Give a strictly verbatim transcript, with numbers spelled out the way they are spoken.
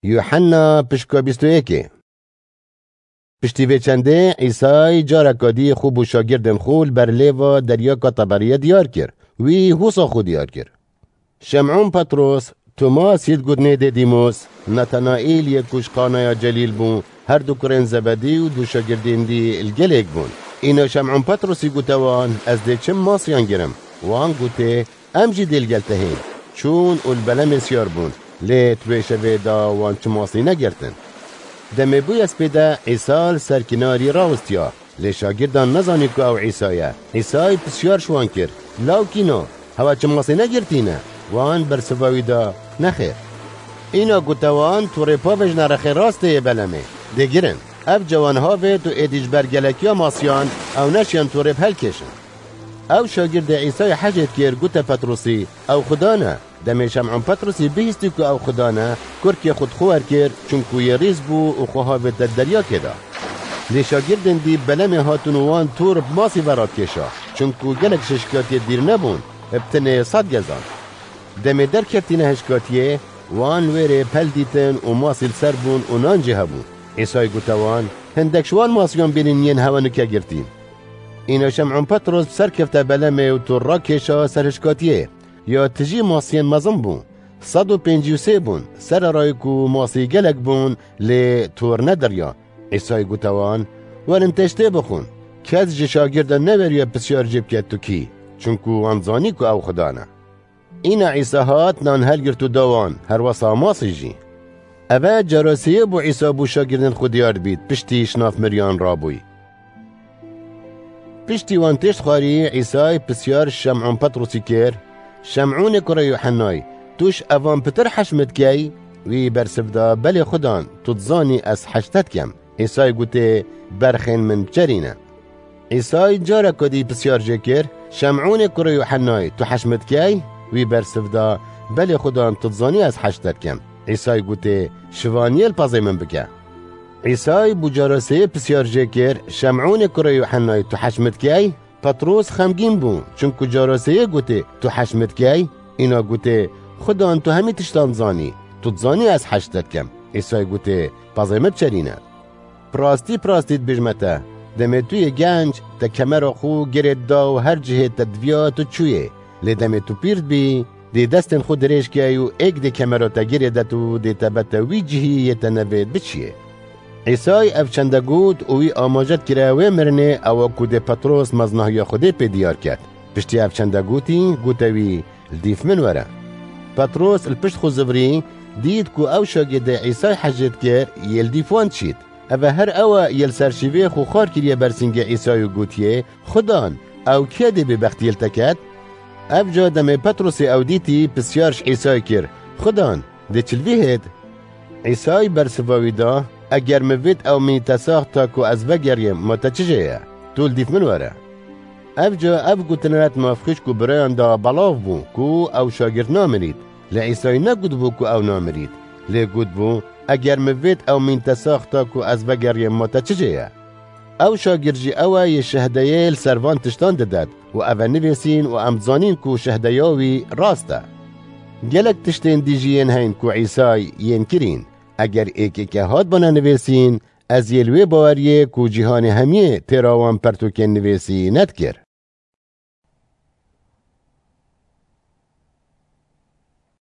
Yuhanna pişka bîst û yekê. Piştî vê çendê Îsay careka dî xwe bû şagirdên xwe li ber lêva deryaka Teberiyê diyar kir. Wî wisa xwe diyar kir. Şem'ûn Petros, Tomas yê digotinê Dêdîmos, Natanaîl yê ku ji Qanaya Celîl bû, her du kurên Zebedî û du şagirdên dî li gelêk bûn. Îna Şem'ûn Petrosî gote wan, Ez dê çim masiyan girim. Wan gotê, Em jî dê li gel te hên. Çûn û li belemê siyar bûn. Lê di wê şevê de wan çi masî negirtin. Demê bûye spêde Îsa li ser kinarî rawistiya. Lê şagirdan nezanî ku ew Îsa ye. Îsay pisyar ji wan kir, Law kîno, hewa çi masî negirtîne? Wan bersiva wî da, Nexêr. Îna gote wan, Torê pavêjne rexê rastê yê belemê. Dê girin. Ev cawan havêt û êdî ji ber gelekiya masiyan ew neşiyan torê bi helkêşin. Ew şagirdê Îsayê hejêt kir, gote Petrosî, Ew Xudan e. Demê Şem'ûn Petrosî bihîstî ku ew Xudan e, kurkê xwe dixwe wer kir, çunku yê rîz bû û xwe havête deryakê de. Lê şagirdên dî belemê hatin û wan tor bi masî ve radikêşa, çunku gelek şişkatiyê dîr nebûn, bi tinê sed gezan. Demê derkeftîne hişkatiyê, wan wêrê pel dîtin û masî li ser bûn û nan jî hebû. Îsay gote wan, Hindek ji wan masiyan bînin yên hewa nûke girtîn. Îna Şem'ûn Petros bi ser kefte belemê û tor rakêşa ser hişkatiyê. Ya tijî masiyên mezin bû. Sed û pêncî û sê bûn, sererayê ku masî gelek bûn, lê tor nediriya. Îsay gote wan, Werin têştê bixwin. Kes ji şagirdan neweriye pisyar jê bike tu kî, çunku wan zanî ku ew Xudan e. Îna Îsa hat, nan helgirt û da wan, herwesa masî jî. Eve cara sêyê bû Îsa bû şagirdên xwe diyar dibît, piştî ji nav miriyan rabûyî. Piştî wan têşt xwarî, Îsay pisyar ji Şem'ûn Petrosî kir, Şem'ûnê kurê Yuhennay, tu ji evan pitir hej min dikey? Wî bersiv da, Belê Xudan, tu dizanî ez hej te dikem. Îsay gotê, Berxên min biçerîne. Îsay careka dî pisyar jê kir, Şem'ûnê kurê Yuhennay, tu hej min dikey? Wî bersiv da, Belê Xudan, tu dizanî ez hej te dikem. Îsay gotê, Şivaniyê li pezê min bike. Îsay bû cara sêyê pisyar jê kir, Şem'ûnê kurê Yuhennay, tu hej min dikey? Petros xemgîn bû, çunku cara sêyê gotê, Tu hej min dikey? Îna gotê, Xudan, tu hemî tiştan dizanî, tu dizanî ez hej te dikem. Îsay gotê, Pezê min biçerîne. Bi rastî, bi rastî dibêjime te, demê tu yê genc, te kemera xwe girê dida û her cihê te diviya tu çûyê. Lê demê tu pîr dibî, dê destên xwe dirêj key û êk dê kemera te girê det û dê te bete wî cihî yê te nevêt biçiyê. Îsay ev çende got û wî amaje dikire wê mirinê, ewa ku dê Petros meznahiya Xwedê pê diyar ket. Piştî ev çende gotî, gote wî, Li dîf min were. Petros li pişt xwe zivirî, dît ku ew şagirdê Îsay hejê dikir, yê li dîf wan diçît. Eve her ew e yê li ser şîvê xwe xar kiriye ber sîngê Îsay û gotiye, Xudan, ew kê dê bêbextiyê li te ket? Ev ca demê Petrosê ew dîtî, pisyar ji Îsay kir, Xudan, dê çi li vî hêt? Îsay bersiva wî da, Eger min vêt ew mînî te sax ta ku ez vegeriyim, ma te çi jê ye? Tu li dîf min were. Ev ca ev gotinê di nav xwişk û birayan de belav bû ku ew şagird namirît. Lê Îsay negotibû ku ew namirît. Lê gotibû, Eger min vêt ew mînî te sax ta ku ez vegeriyim, ma te çi jê ye? Ew şagird jî ew e yê şehdeyê li ser van tiştan didet û ev e nivîsîn û em dizanîn ku şehdeya wî rast e. Gelek tiştên dî jî yên heyn ku Îsay yên kirîn. Eger êkêke hatbana nivîsîn, ez yê li wê baweriyê ku cîhanê hemiyê têra wan pertûkên nivîsî nedikir.